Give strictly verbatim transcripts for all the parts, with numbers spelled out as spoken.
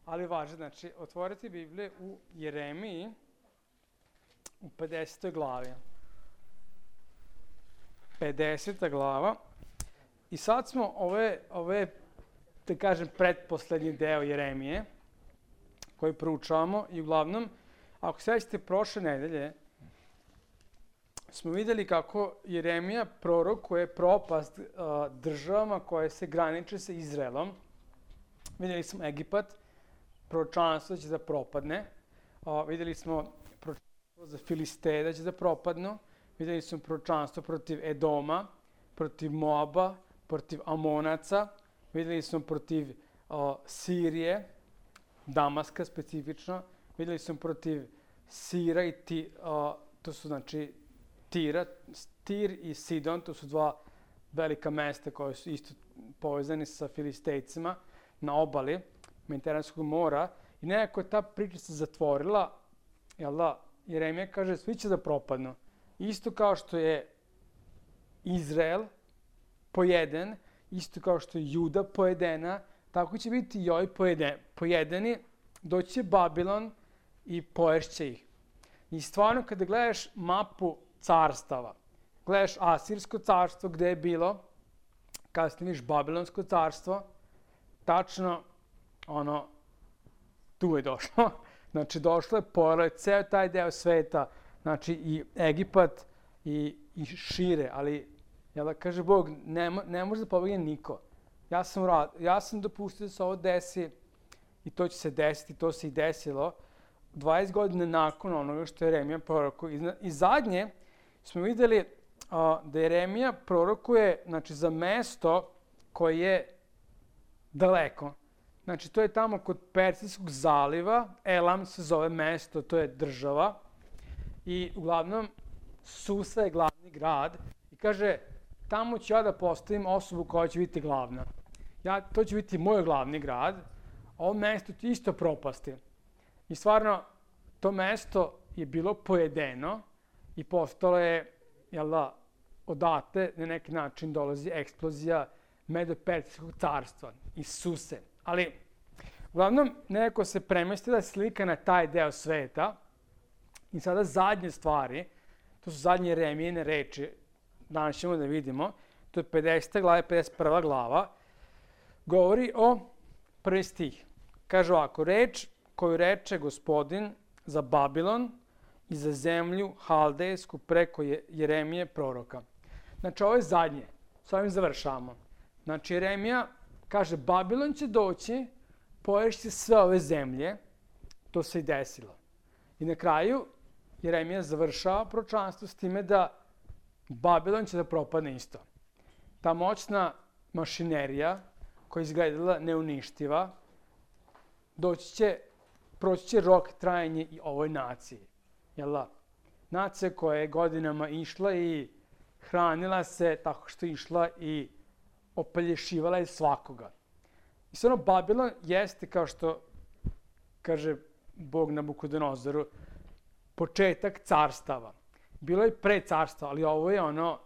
ali važe, znači, otvorite Biblije u Jeremiji u pedesetoj glavi. pedeseta glava. I sad smo ove, ove da kažem, pretposlednji deo Jeremije, koji proučavamo i uglavnom, ako sećate prošle nedelje, smo videli kako Jeremija prorokuje propast uh, državama koje se graniče sa Izraelom. Videli smo Egipat, proročanstvo da će da propadne. Uh, videli smo proročanstvo za Filisteje da će da propadnu. Videli smo proročanstvo protiv Edoma, protiv Moaba, protiv Amonaca. Videli smo protiv uh, Sirije, Damaska specifično. Videli smo protiv Sira i ti, uh, to su znači Tira, Tir i Sidon, to su dva velika mesta koje su isto povezani sa Filistejcima na obali Mediteranskog mora. I nekako je ta priča se zatvorila, jel da, Jeremija kaže svi će da propadnu. Isto kao što je Izrael pojeden, isto kao što je Juda pojedena, tako će biti i ovi pojede, pojedeni, doći će Babilon i poješće ih. I stvarno kada gledaš mapu carstava, gledaš Asirsko carstvo gde je bilo, kasnije vidiš Babilonsko carstvo, tačno ono, tu je došlo. Znači došlo je, pojelo je ceo taj deo sveta, znači i Egipat i, i šire, ali jel da kaže Bog, ne, ne može da pobegne niko. Ja sam, rad, ja sam dopustio da se ovo desi i to će se desiti, to se i desilo dvadeset godina nakon onoga što je Jeremija prorokuje. I zadnje smo videli a, da Jeremija prorokuje, znači, za mesto koje je daleko. Znači, to je tamo kod Persijskog zaliva, Elam se zove mesto, to je država. I uglavnom, Susa je glavni grad i kaže, tamo ću ja da postavim osobu koja će biti glavna. Ja, to će biti moj glavni grad, ovo mesto će isto propasti. I stvarno, to mesto je bilo pojedeno i postalo je, jel da, odate na neki način dolazi eksplozija Medo-Persijskog carstva iz Suse. Ali, uglavnom, nekako se premestila slika na taj deo sveta i sada zadnje stvari, to su zadnje Jeremijine reči, danas ćemo da vidimo, to je pedeseta glava, pedeset prva glava, govori o prvi stih. Kaže ovako, reč koju reče Gospodin za Babilon i za zemlju Haldejsku preko Jeremije proroka. Znači, ovo je zadnje. S ovim završavamo. Znači, Jeremija kaže, Babilon će doći, poješće sve ove zemlje. To se i desilo. I na kraju, Jeremija završava proročanstvo s time da Babilon će da propadne isto. Ta moćna mašinerija koja je izgledala neuništiva, doći će, proći će rok trajanje i ovoj naciji. Jel da? Nacija koja je godinama išla i hranila se tako što je išla i opelješivala je svakoga. I stvarno, Babilon jeste, kao što kaže Bog Nabukodonozoru, početak carstava. Bilo je pre carstva, ali ovo je ono,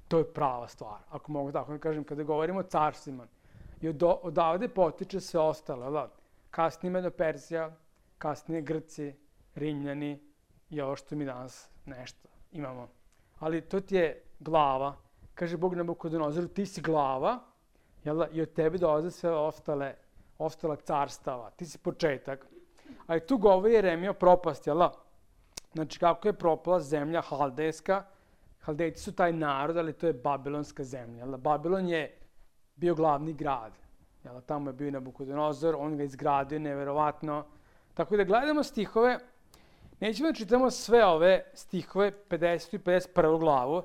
to je prava stvar, ako mogu tako da kažem, kada govorimo o carstvima. I od, odavde potiče sve ostalo, jel da? Kasnije Medo-Persija, kasnije Grci, Rimljani i ovo što mi danas nešto imamo. Ali to ti je glava. Kaže Bog Nabukodonozoru, ti si glava, jel da? I od tebe dolaze sve ostale, ostala carstava. Ti si početak. Ali tu govori Jeremija o propasti, jel da? Znači, kako je propala zemlja Haldejska. Haldejci su taj narod, ali to je babilonska zemlja. Jel da? Babilon je bio glavni grad. Jel da? Tamo je bio i Nabukodonozor, on ga izgradio, neverovatno. Tako da gledamo stihove, nećemo da čitamo sve ove stihove, pedesetu i pedeset prvu glavu,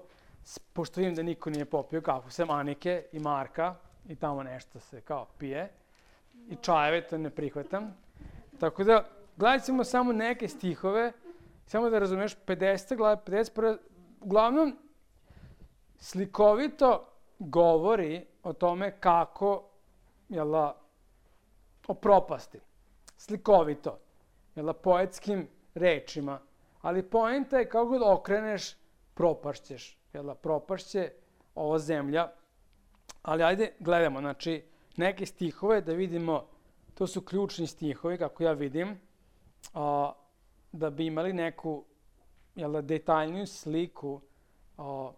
pošto vidim da niko nije popio kafu, sem Anike i Marka, i tamo nešto se kao pije, i čajeve, to ne prihvatam. Tako da, gledat ćemo samo neke stihove, samo da razumeš, pedeseta glava, pedeset prva, uglavnom, slikovito govori o tome kako, jel da, o propasti. Slikovito, jel da, poetskim rečima. Ali poenta je kako god okreneš, propašćeš. Jel da, propašće ova zemlja. Ali ajde, gledamo, znači, neke stihove da vidimo to su ključni stihovi, kako ja vidim, a, da bi imali neku jel da, detaljniju sliku, a,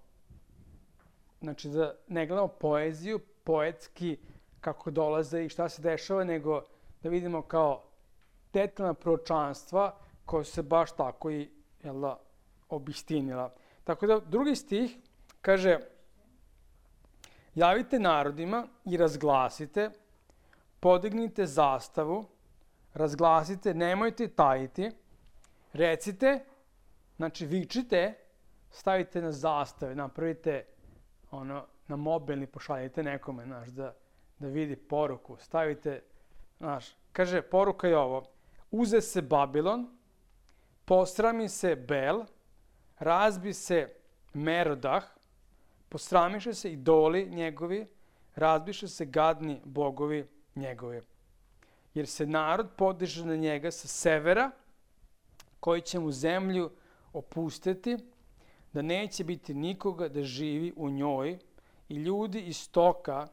znači da ne gledamo poeziju, poetski, kako dolaze i šta se dešava, nego da vidimo kao detaljna proročanstva koja se baš tako i jel da, obistinila. Tako da drugi stih kaže: javite narodima i razglasite, podignite zastavu, razglasite, nemojte tajiti, recite, znači vičite, stavite na zastave, napravite ono, na mobilni, pošaljite nekome, znaš, da, da vidi poruku, stavite, znaš, kaže, poruka je ovo: uze se Babilon, posrami se Bel, razbi se Merodah, posramiše se idoli njegovi, razbiše se gadni bogovi njegovi. Jer se narod podiže na njega sa severa, koji će mu zemlju opustiti, da neće biti nikoga da živi u njoj, i ljudi iz stoka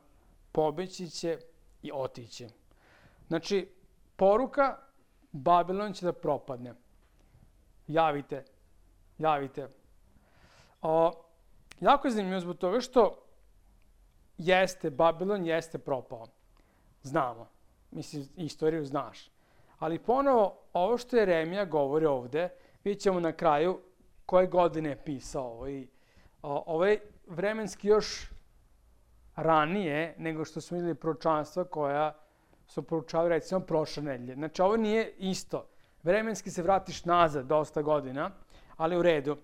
pobeći će i otići. Znači, poruka: Babilon će da propadne. Javite, javite. O, jako je zanimljivo zbog toga što jeste, Babilon jeste propao. Znamo. Mislim, istoriju znaš. Ali ponovo, ovo što Jeremija govori ovde, vidjet ćemo na kraju koje godine je pisao ovo. I, o, ovaj vremenski još ranije nego što smo vidjeli proročanstva koja su proučavali recimo prošle nedelje. Znači, ovo nije isto. Vremenski se vratiš nazad dosta godina, ali u redu.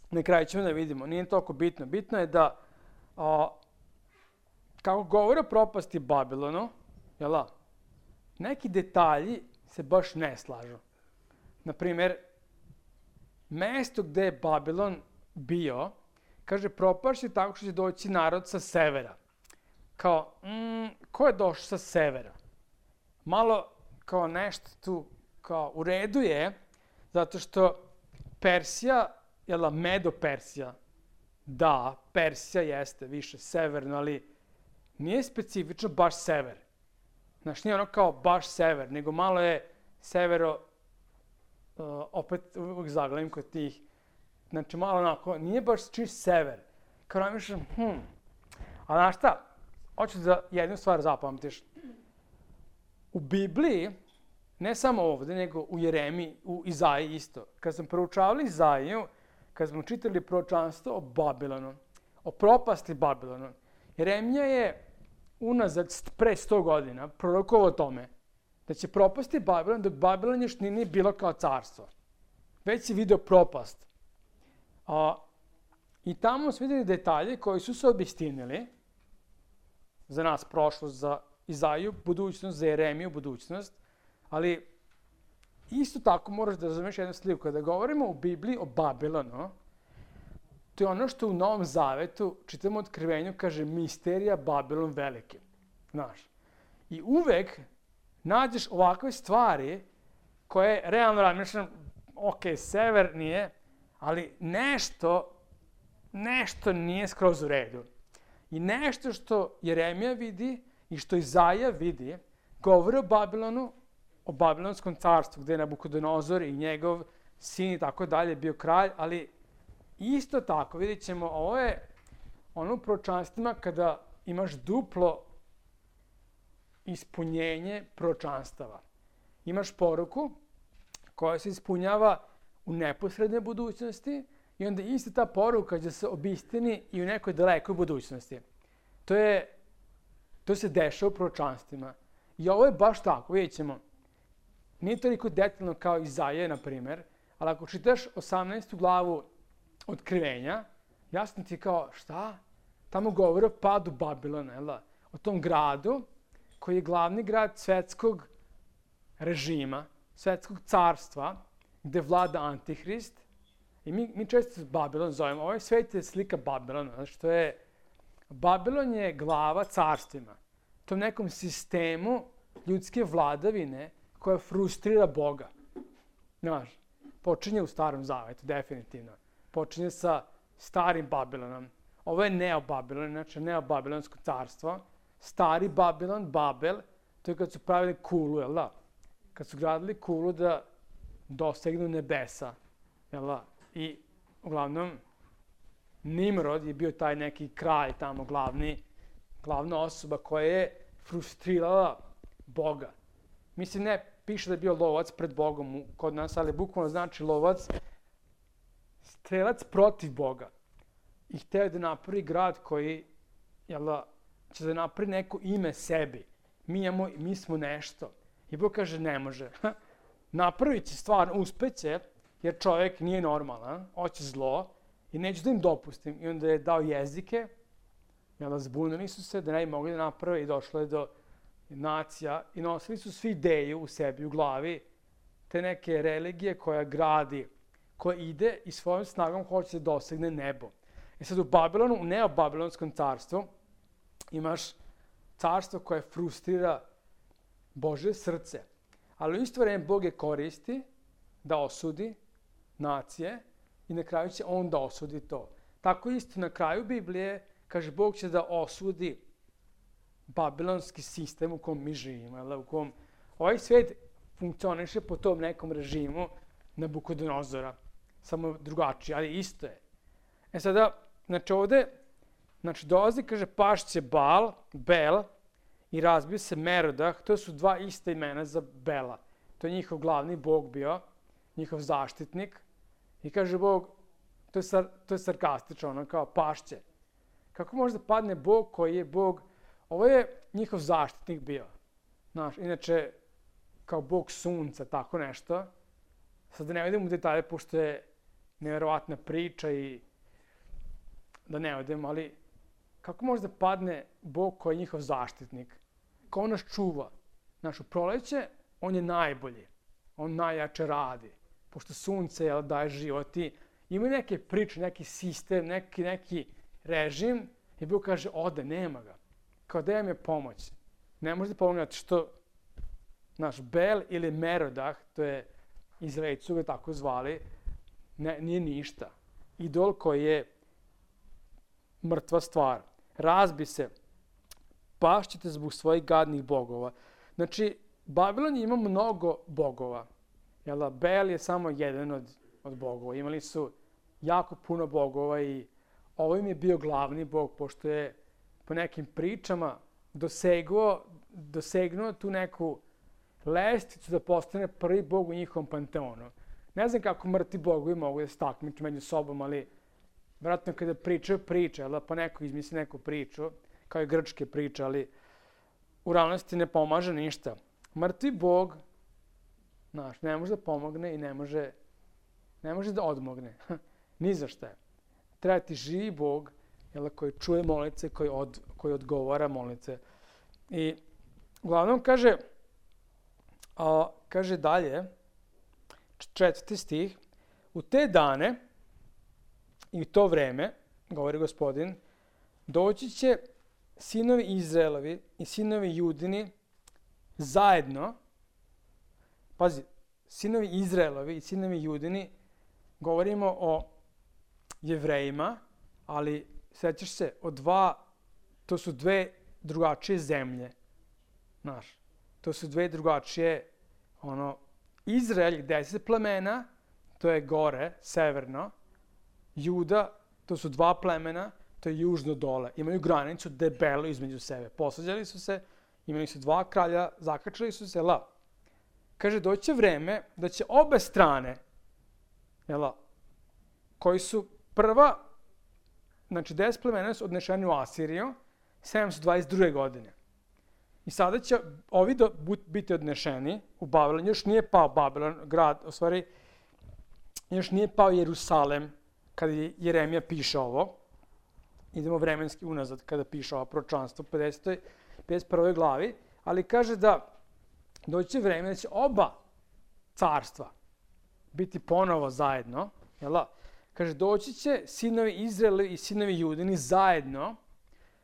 Na kraju ćemo da vidimo. Nije toliko bitno. Bitno je da, o, kako govore o propasti Babilonu, jel da, neki detalji se baš ne slažu. Naprimer, mesto gde je Babilon bio, kaže, propašće tako što će doći narod sa severa. Kao, mm, ko je došao sa severa? Malo kao nešto tu, kao u redu je, zato što Persija, jel da, Medo-Persija, da, Persija jeste više severno, ali nije specifično baš sever. Znaš, nije ono kao baš sever, nego malo je severo, uh, opet uvijek zaglavim kod tih, znači malo onako, nije baš čist sever. Kao namišljam, hm, a znaš šta, hoću da jednu stvar zapamtiš. U Bibliji, ne samo ovde, nego u Jeremiji, u Izaiji isto. Kad smo proučavali Izaiju, kad smo čitali proročanstvo o Babilonu, o propasti Babilonu, Jeremija je unazad pre sto godina prorokovao o tome da će propasti Babilon, dok Babilon još nije bilo kao carstvo. Već si video propast. A, I tamo smo videli detalje koji su se obistinili, za nas prošlost, za Izaiju budućnost, za Jeremiju budućnost, ali isto tako moraš da razumeš jednu sliku. Kada govorimo u Bibliji o Babilonu, to je ono što u Novom Zavetu, čitamo u Otkrivenju, kaže misterija Babilon veliki. Znaš. I uvek nađeš ovakve stvari koje realno razmišljam, ok, sever nije, ali nešto, nešto nije skroz u redu. I nešto što Jeremija vidi i što Izaija vidi, govori o Babilonu, o Babilonskom carstvu, gde je Nabukodonozor i njegov sin i tako dalje bio kralj, ali isto tako, vidjet ćemo, ovo je ono u proročanstvima kada imaš duplo ispunjenje proročanstava. Imaš poruku koja se ispunjava u neposrednoj budućnosti i onda ista ta poruka će se obistini i u nekoj dalekoj budućnosti. To je, to se dešava u proročanstvima. I ovo je baš tako, vidjet ćemo. Nije toliko detaljno kao Izaija, na primer, ali ako čitaš osamnaestu glavu Otkrivenja, jasno ti kao, šta? Tamo govori o padu Babilona, jel da? O tom gradu koji je glavni grad svetskog režima, svetskog carstva, gde vlada Antihrist. I mi, mi često Babilon zovemo. Ovaj svet je slika Babilona, znači to je, Babilon je glava carstvima. Tom nekom sistemu ljudske vladavine koja frustrira Boga. Znaš, počinje u Starom Zavetu, definitivno. Počinje sa starim Babilonom. Ovo je Neo-Babilon, znači Neo-Babilonsko carstvo. Stari Babilon, Babel, to je kad su pravili kulu, jel da? Kad su gradili kulu da dosegnu nebesa, jel da? I uglavnom Nimrod je bio taj neki kralj tamo, glavni, glavna osoba koja je frustrirala Boga. Mislim, ne piše da je bio lovac pred Bogom kod nas, ali bukvalno znači lovac, strelac protiv Boga. I hteo da napravi grad koji, jel da, će da napravi neko ime sebi. Mi, imamo, mi smo nešto. I Bog kaže, ne može. Napravit će stvar, uspeće, jer čovjek nije normalan, hoće zlo i neću da im dopustim. I onda je dao jezike, jel da, zbunili su se da ne bi mogli da naprave i došlo je do nacija i nosili su svi ideju u sebi, u glavi, te neke religije koja gradi, koja ide i svojom snagom hoće da dosegne nebo. I sad u Babilonu, u neobabilonskom carstvu, imaš carstvo koje frustrira Božje srce. Ali u isto vreme Bog je koristi da osudi nacije i na kraju će on da osudi to. Tako isto na kraju Biblije kaže Bog će da osudi babilonski sistem u kom mi živimo, u kom ovaj svijet funkcioniše po tom nekom režimu Nabukodonozora, samo drugačije, ali isto je. E sada, znači ovde, znači dolazi, kaže, pašće Bal, Bel, i razbio se Merodah, to su dva ista imena za Bela. To je njihov glavni bog bio, njihov zaštitnik. I kaže Bog, to je, sar, to je sarkastično, ono kao pašće. Kako može da padne Bog koji je Bog, ovo je njihov zaštitnik bio. Znaš, inače, kao Bog sunca, tako nešto. Sad da ne idem u detalje, pošto je nevjerovatna priča i da ne odem, ali kako može da padne Bog koji je njihov zaštitnik? Kao on nas čuva. Znaš, u proleće on je najbolji. On najjače radi. Pošto sunce jel, daje život i ima neke priče, neki sistem, neki, neki režim i Bog kaže, ode, nema ga. Kao da je pomoć. Ne može da pomogne što naš Bel ili Merodah, to je Izraelci su ga tako zvali, ne, nije ništa. Idol koji je mrtva stvar. Razbi se, pašćete zbog svojih gadnih bogova. Znači, Babilon ima mnogo bogova. Jel, Bel je samo jedan od, od bogova. Imali su jako puno bogova i ovo im je bio glavni bog, pošto je po nekim pričama dosegnuo, dosegnuo tu neku lestvicu da postane prvi bog u njihovom panteonu. Ne znam kako mrtvi bogovi mogu da se takmiče među sobom, ali vjerojatno kada pričaju priče, ali pa neko izmisli neku priču, kao i grčke priče, ali u realnosti ne pomaže ništa. Mrtvi bog, znaš, ne može da pomogne i ne može, ne može da odmogne. Ni za šta je. Treba ti živi bog, jel, koji čuje molice, koji, od, koji odgovara molice. I uglavnom kaže, a, kaže dalje, četvrti stih, u te dane i u to vreme, govori Gospodin, doći će sinovi Izraelovi i sinovi Judini zajedno, pazi, sinovi Izraelovi i sinovi Judini, govorimo o Jevrejima, ali sećaš se, o dva, to su dve drugačije zemlje, znaš, to su dve drugačije, ono, Izrael, deset plemena, to je gore, severno, Juda, to su dva plemena, to je južno dole. Imaju granicu debelu između sebe. Posvađali su se, imali su dva kralja, zakačili su se, la. Kaže, doće vreme da će obe strane, jela, koji su prva, znači deset plemena su odnešeni u Asiriju, sedamsto dvadeset druge godine. I sada će ovi do, biti odnešeni u Babilon. Još nije pao Babilon, grad, u stvari, još nije pao Jerusalem, kada je Jeremija piše ovo. Idemo vremenski unazad kada piše ovo proročanstvo u pedesetoj, pedeset prvoj glavi. Ali kaže da doći vreme da će oba carstva biti ponovo zajedno. Jel da? Kaže, doći će sinovi Izraela i sinovi Judini zajedno.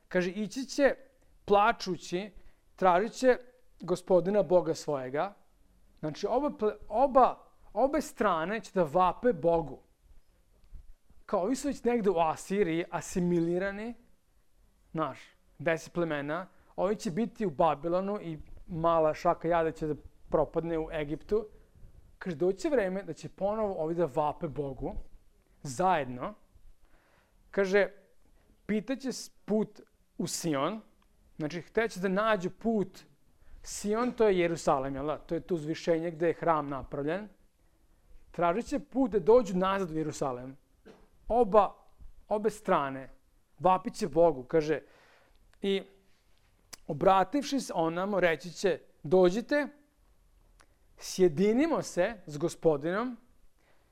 Kaže, ići će plačući, tražit će Gospodina Boga svojega. Znači, oba, oba, obe strane će da vape Bogu. Kao ovi su već negde u Asiriji asimilirani, znaš, deset plemena, ovi će biti u Babilonu i mala šaka jada će da propadne u Egiptu. Kaže, doće vreme da će ponovo ovi da vape Bogu, zajedno. Kaže, pitaće put u Sion, znači hteće da nađu put. Sion, to je Jerusalem, jel da? To je to uzvišenje gde je hram napravljen. Tražit će put da dođu nazad u Jerusalem. Oba, obe strane. Vapit će Bogu, kaže. I obrativši se onamo, reći će, dođite, sjedinimo se s Gospodinom,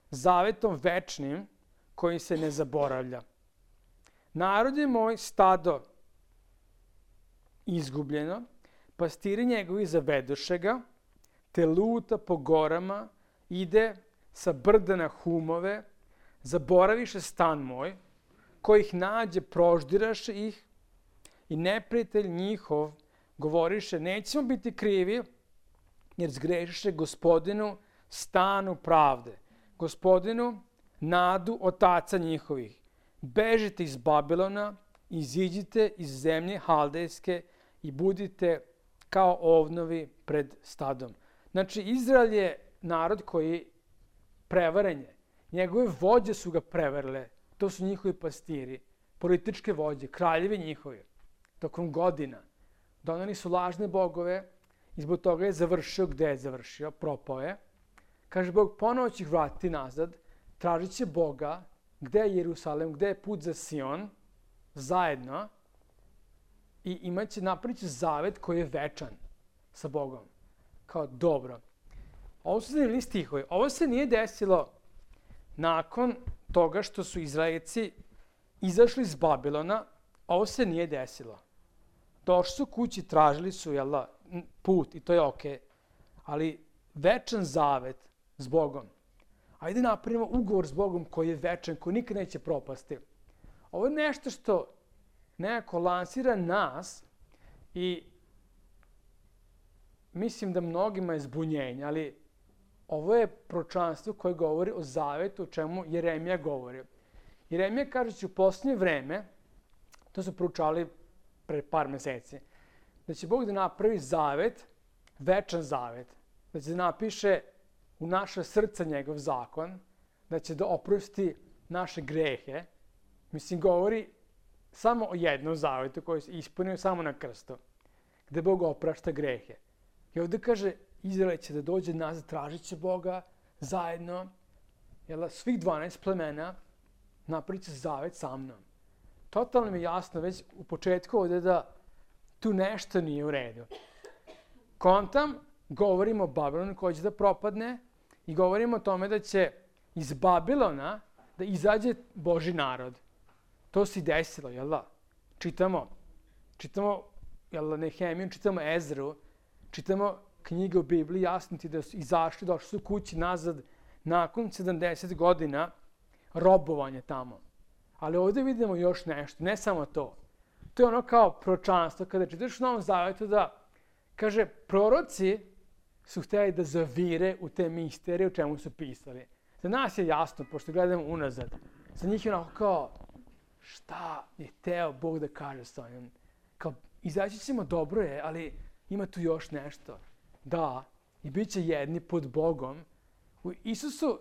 zavetom večnim, koji se ne zaboravlja. Narod je moj stado izgubljeno, pastiri njegovi zavedoše ga, te luta po gorama, ide sa brda na humove, zaboraviše stan moj, koji ih nađe, proždiraše ih, i neprijatelj njihov govoriše, nećemo biti krivi, jer zgrešiše Gospodinu stanu pravde, Gospodinu nadu otaca njihovih. Bežite iz Babilona, iziđite iz zemlje Haldejske i budite kao ovnovi pred stadom. Znači, Izrael je narod koji prevaren je. Njegove vođe su ga prevarile. To su njihovi pastiri, političke vođe, kraljevi njihovi. Tokom godina doneli su lažne bogove i zbog toga je završio gde je završio, propao je. Kaže, Bog ponovo će ih vratiti nazad, tražit će Boga, gde je Jerusalem, gde je put za Sion, zajedno, i imat će, napravit će zavet koji je večan sa Bogom. Kao dobro. Ovo su zanimljivi stihovi. Ovo se nije desilo nakon toga što su Izraelci izašli iz Babilona. Ovo se nije desilo. Došli su kući, tražili su jel da, put i to je okej. Ali večan zavet s Bogom. Ajde napravimo ugovor s Bogom koji je večan, koji nikad neće propasti. Ovo je nešto što nekako lansira nas i mislim da mnogima je zbunjenje, ali ovo je proročanstvo koje govori o zavetu, o čemu Jeremija govori. Jeremija kaže u posljednje vreme, to su proučavali pre par meseci, da će Bog da napravi zavet, večan zavet, da će da napiše u naše srca njegov zakon, da će da oprosti naše grehe. Mislim, govori samo o jednom zavetu koji se ispunio samo na krstu, gde Bog oprašta grehe. I ovdje kaže, Izrael će da dođe nazad, tražit će Boga zajedno, jel, svih dvanaest plemena napravit će zavet sa mnom. Totalno mi je jasno već u početku ovdje da tu nešto nije u redu. Kontam, govorimo o Babilonu koji će da propadne i govorimo o tome da će iz Babilona da izađe Boži narod. To se desilo, jel da? Čitamo, čitamo jel, Nehemiju, čitamo Ezru, čitamo knjige u Bibliji, jasno ti da su izašli, došli su kući nazad nakon sedamdeset godina robovanja tamo. Ali ovdje vidimo još nešto, ne samo to. To je ono kao proročanstvo, kada čitaš u Novom Zavetu da, kaže, proroci su htjeli da zavire u te misterije u čemu su pisali. Za nas je jasno, pošto gledamo unazad. Za njih je onako kao, šta je teo Bog da kaže s ovim? Kao, izaći ćemo, dobro je, ali ima tu još nešto. Da, i bit će jedni pod Bogom. U Isusu,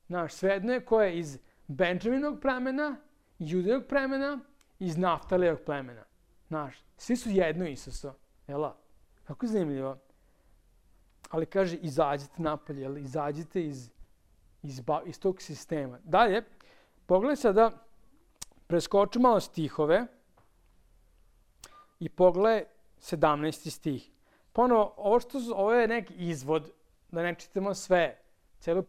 naš svejedno je ko je iz Benjaminovog plemena, Judinog plemena, iz Naftalijevog plemena. Naš, svi su jedno Isusu. Jela? Kako je zanimljivo. Ali kaže, izađite napolje, jel? Izađite iz, iz, iz tog sistema. Dalje, pogledaj sada, preskoču malo stihove i pogledaj sedamnaesti stih. Ponovo, ovo, što, ovo je neki izvod, da ne čitamo sve, celu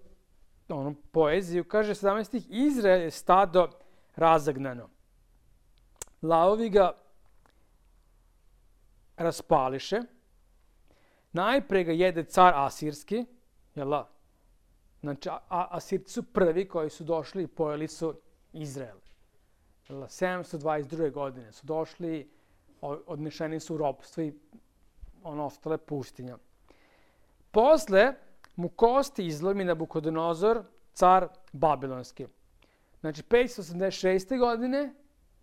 onu poeziju, kaže sedamnaesti stih, Izrael je stado razagnano. Lavovi ga raspališe, najpre ga jede car Asirski, jel? Znači, a, Asirci su prvi koji su došli i pojeli su Izrael. Jel? sedamsto dvadeset druge godine su došli, odnešeni su u ropstvo i ono ostale pustinja. Posle mu kosti izlomi Nabukodonozor, car Babilonski. Znači, petsto osamdeset šeste godine,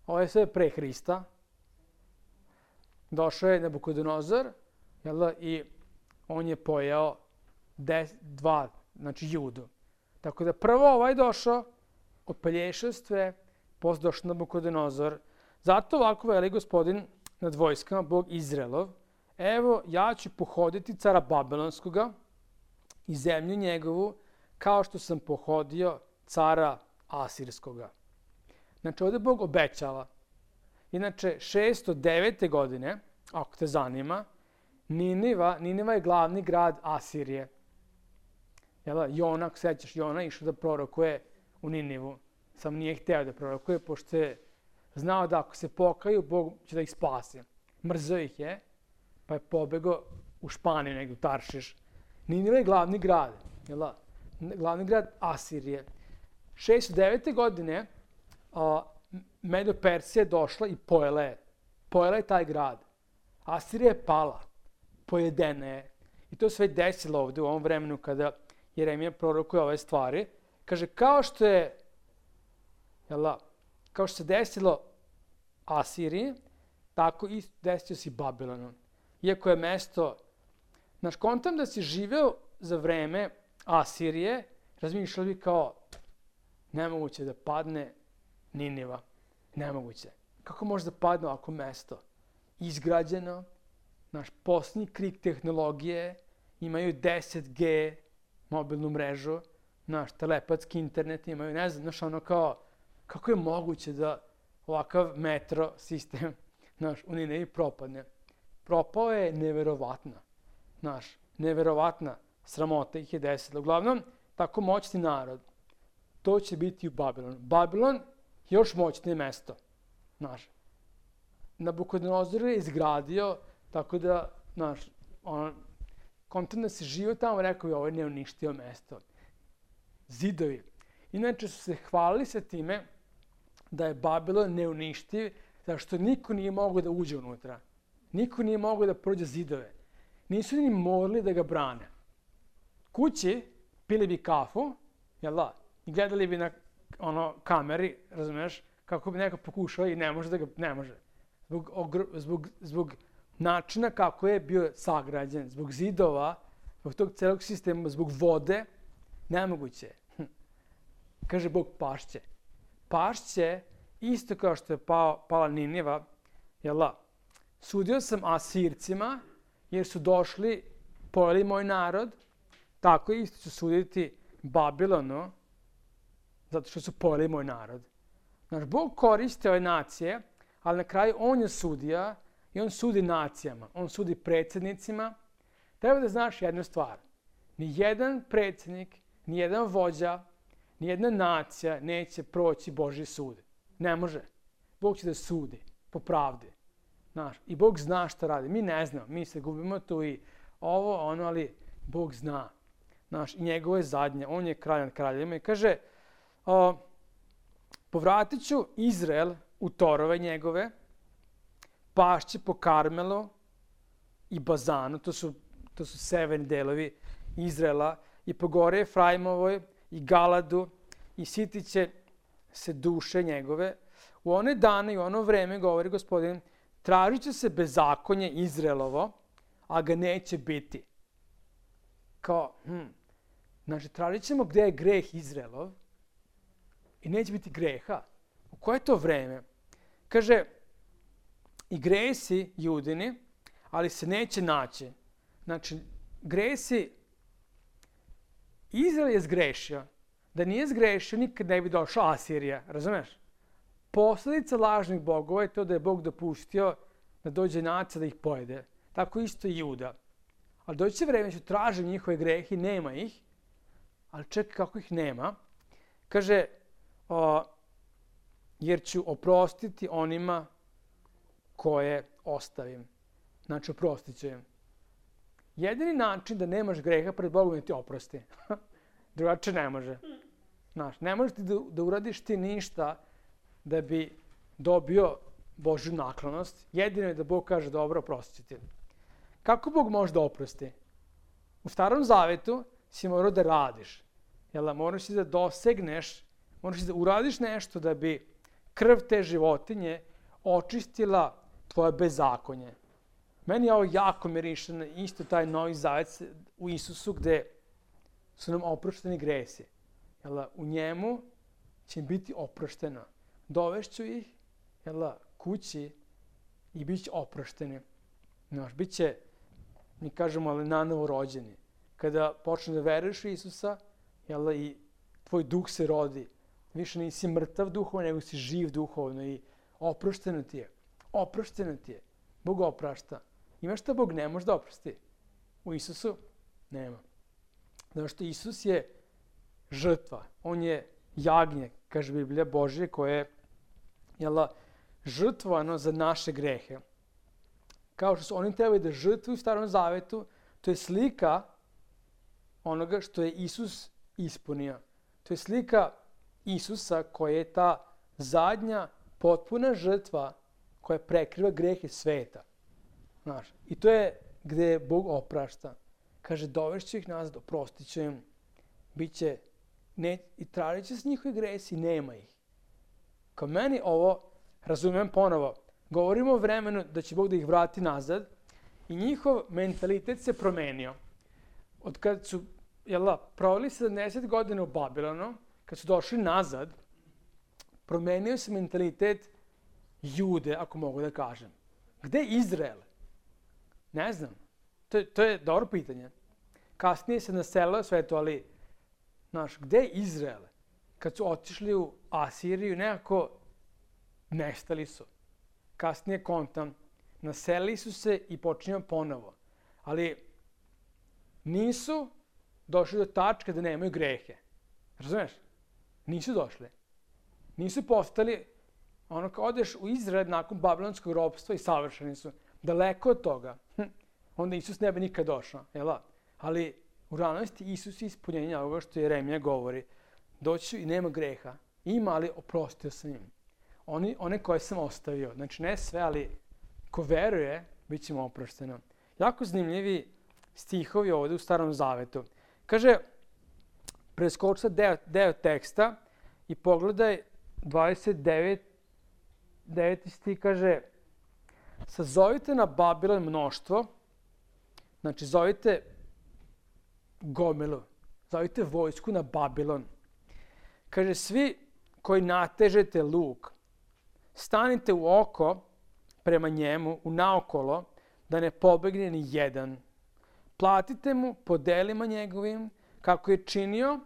ovo je sve pre Hrista, došao je Nabukodonozor, jel da, i on je pojeo des, dva, znači judu. Tako da prvo ovaj došao, odpelješao sve, posle došao Nabukodonozor. Zato ovako veli gospodin nad vojskama, Bog Izraelov, evo ja ću pohoditi cara Babilonskoga i zemlju njegovu, kao što sam pohodio cara Asirskoga. Znači ovdje Bog obećava. Inače, šesto devete godine, ako te zanima, Niniva, Niniva je glavni grad Asirije. Jel, Jona, ako sećaš, Jona išao da prorokuje u Ninivu. Sam nije hteo da prorokuje, pošto je znao da ako se pokaju, Bog će da ih spasi. Mrzeo ih je, pa je pobegao u Španiju, negdje u Taršiš. Niniva je glavni grad, jel, glavni grad Asirije. šesto devete godine a, Medo-Persija je došla i pojela je. Pojela je taj grad. Asirija je pala, pojedena je. I to se već desilo ovdje u ovom vremenu kada Jeremija prorokuje ove stvari. Kaže, kao što je, jel, kao što se desilo Asiriji, tako i desio si Babilonu. Iako je mesto, znaš, kontam da si živeo za vreme Asirije, razmišljali bi kao, nemoguće da padne Niniva. Nemoguće. Kako može da padne ovako mesto? Izgrađeno, naš posljednji krik tehnologije, imaju deset G mobilnu mrežu, naš telepatski internet imaju, ne znam, znaš, ono kao, kako je moguće da ovakav metro sistem, naš, u Ninivi propadne? Propao je neverovatna, naš, neverovatna sramota ih je desila. Uglavnom, tako moćni narod, to će biti u Babilonu. Babilon još moćnije mesto, naš. Nabukodonozor je izgradio, tako da, naš, ono, kontent da se živio tamo, rekao je, ovo je neuništio mesto. Zidovi. Inače su se hvalili sa time da je Babilon neuništiv, zato što niko nije mogao da uđe unutra. Niko nije mogao da prođe zidove. Nisu ni morali da ga brane. Kući pili bi kafu, jel da? I gledali bi na ono, kameri, razumeš, kako bi neko pokušao i ne može da ga, ne može. Zbog, ogr, zbog, zbog načina kako je bio sagrađen, zbog zidova, zbog tog celog sistema, zbog vode, nemoguće. Kaže Bog, pašće. Pašće, isto kao što je pao, pala Niniva, jel da? Sudio sam Asircima, jer su došli, pojeli moj narod, tako isto ću suditi Babilonu, zato što su pojeli moj narod. Naš Bog koristi ove nacije, ali na kraju on je sudija i on sudi nacijama, on sudi predsjednicima. Treba da znaš jednu stvar. Nijedan predsjednik, nijedan vođa, nijedna nacija neće proći Božji sud. Ne može. Bog će da sudi po pravdi. Znaš, i Bog zna šta radi. Mi ne znamo, mi se gubimo tu i ovo, ono, ali Bog zna. Znaš, i njegovo je zadnje. On je kralj nad kraljevima i kaže, o, povratit ću Izrael u torove njegove, pašće po Karmelu i Bazanu, to su, to su severni delovi Izraela, i po gore Efraimovoj i Galadu, i sitit će se duše njegove. U one dane i u ono vreme, govori Gospodin, tražit će se bezakonje Izraelovo, a ga neće biti. Kao, hm, znači, tražit ćemo gdje je greh Izraelov i neće biti greha. U koje je to vreme? Kaže, i gresi Judini, ali se neće naći. Znači, gresi, Izrael je zgrešio. Da nije zgrešio, nikad ne bi došla Asirija, razumeš? Posljedica lažnih bogova je to da je Bog dopustio da dođe nacija da ih pojede. Tako isto i Juda. Ali doći će vreme, ću tražiti njihove grehe, nema ih, ali čekaj kako ih nema. Kaže, o, jer ću oprostiti onima koje ostavim. Znači, oprostit ću im. Jedini način da nemaš greha pred Bogom je ti oprosti. Drugače ne može. Znaš, ne možeš ti da, da uradiš ti ništa da bi dobio Božju naklonost. Jedino je da Bog kaže, dobro, oprostit ću ti. Kako Bog može da oprosti? U Starom Zavetu si morao da radiš. Jel, moraš da dosegneš, moraš da uradiš nešto da bi krv te životinje očistila tvoje bezakonje. Meni je ovo jako miriše na isto taj Novi Zavet u Isusu gde su nam oprošteni gresi. Jel, u njemu će im biti oprošteno. Dovešću ih jel, kući i bit će oprošteni. Znaš, bit će, mi kažemo, ali nanovo rođeni. Kada počne da veruješ u Isusa, jel, i tvoj duh se rodi. Više nisi mrtav duhovno, nego si živ duhovno i oprošteno ti je. Oprošteno ti je. Bog oprašta. Ima šta Bog ne može da oprosti? U Isusu nema. Zato što Isus je žrtva. On je jagnje, kaže Biblija Božje, koje je jel, žrtvovano za naše grehe. Kao što su oni trebali da žrtvuju u Starom Zavetu, to je slika onoga što je Isus ispunio. To je slika Isusa koja je ta zadnja potpuna žrtva koja prekriva grehe sveta. Znaš, i to je gde Bog oprašta. Kaže, dovešću ih nazad, oprostit ću im, bit će, ne, i tražit će s njihovi gresi, nema ih. Kao meni ovo, razumem ponovo, govorimo o vremenu da će Bog da ih vrati nazad i njihov mentalitet se promenio. Od kad su jel, proveli sedamdeset godina u Babilonu, kad su došli nazad, promenio se mentalitet Jude, ako mogu da kažem. Gde je Izrael? Ne znam. To je, to je dobro pitanje. Kasnije se naselilo sve to, ali, znaš, gde je Izrael? Kad su otišli u Asiriju, nekako nestali su. Kasnije kontam, naselili su se i počinjamo ponovo. Ali nisu došli do tačke da nemaju grehe. Razumeš? Nisu došli. Nisu postali, ono kao odeš u Izrael nakon babilonskog ropstva i savršeni su. Daleko od toga. Hm. Onda Isus ne bi nikad došao. Jel? Ali u realnosti Isus je ispunjenje ovoga što Jeremija govori. Doći i nema greha. Ima, ali oprostio sam im. Oni, one koje sam ostavio. Znači ne sve, ali ko veruje, bit će mu oprošteno. Jako zanimljivi stihovi ovde u Starom Zavetu. Kaže, preskoči deo, deo teksta i pogledaj dvadeset deveti stih, kaže, sazovite na Babilon mnoštvo, znači zovite gomilu, zovite vojsku na Babilon. Kaže, svi koji natežete luk, stanite u oko prema njemu, u naokolo, da ne pobegne ni jedan. Platite mu po delima njegovim, kako je činio,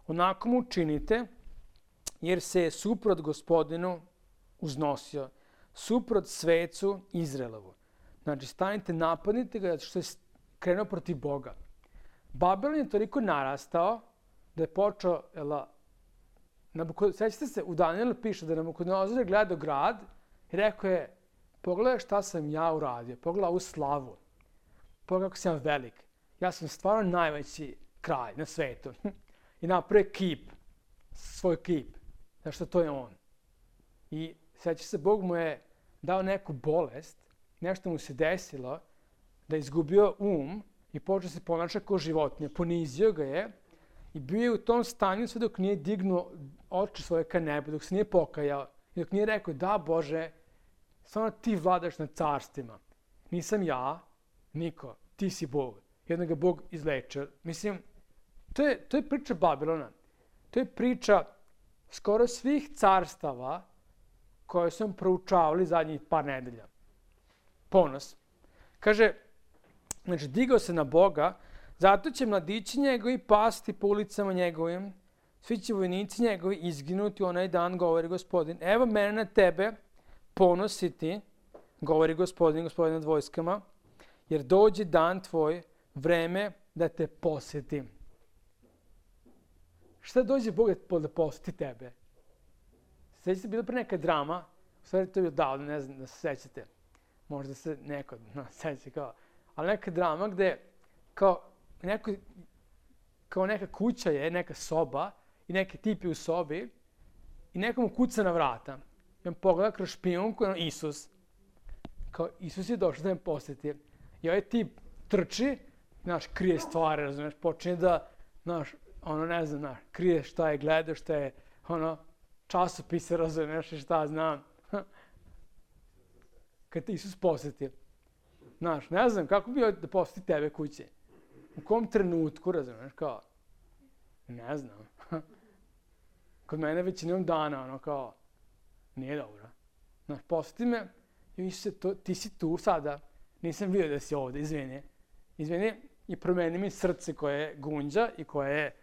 onako mu činite, jer se je suprot Gospodinu uznosio, suprot svecu Izraelovu. Znači, stanite, napadnite ga, što je krenuo protiv Boga. Babilon je toliko narastao da je počeo, jela, sećate se, u Danielu piše da Nabukodonozor je gledao grad i rekao je, pogledaj šta sam ja uradio, pogledaj ovu slavu, pogledaj kako sam ja velik. Ja sam stvarno najveći kralj na svetu. I napravio kip, svoj kip. Znaš što to je on. I seća se, Bog mu je dao neku bolest, nešto mu se desilo, da je izgubio um i počeo se ponaša kao životinja. Ponizio ga je i bio je u tom stanju sve dok nije dignuo oči svoje ka nebu, dok se nije pokajao i dok nije rekao, da Bože, samo ti vladaš nad carstvima. Nisam ja, niko, ti si Bog. I onda ga Bog izlečio. Mislim, to je, to je priča Babilona. To je priča skoro svih carstava koje smo proučavali zadnjih par nedelja. Ponos. Kaže, znači, digao se na Boga, zato će mladići njegovi pasti po ulicama njegovim, svi će vojnici njegovi izginuti onaj dan, govori Gospodin. Evo mene na tebe ponositi, govori Gospodin, Gospodin nad vojskama, jer dođe dan tvoj, vreme da te posjetim. Šta dođe Bog da posjeti tebe? Sećate se, bila pre neka drama, u stvari to je bilo davno, ne znam da se sećate. Možda se neko no, seća kao, ali neka drama gde kao, neko, kao neka kuća je, neka soba i neki tip je u sobi i nekomu kuca na vrata. I on pogleda kroz špijunku, ono Isus. Kao, Isus je došao da me posjeti. I ovaj tip trči, znaš, krije stvari, razumiješ, počinje da, znaš, ono, ne znam, znaš, krije šta je gledao, šta je, ono, časopise, razumiješ, i šta znam. Kad te Isus posjeti. Znaš, ne znam, kako bi da posjeti tebe kuće? U kom trenutku, razumiješ, kao, ne znam. Kod mene većinom dana, ono, kao, nije dobro. Znaš, posjeti me, i se to, ti si tu sada, nisam vidio da si ovde, izvini. Izvini, i promeni mi srce koje gunđa i koje je,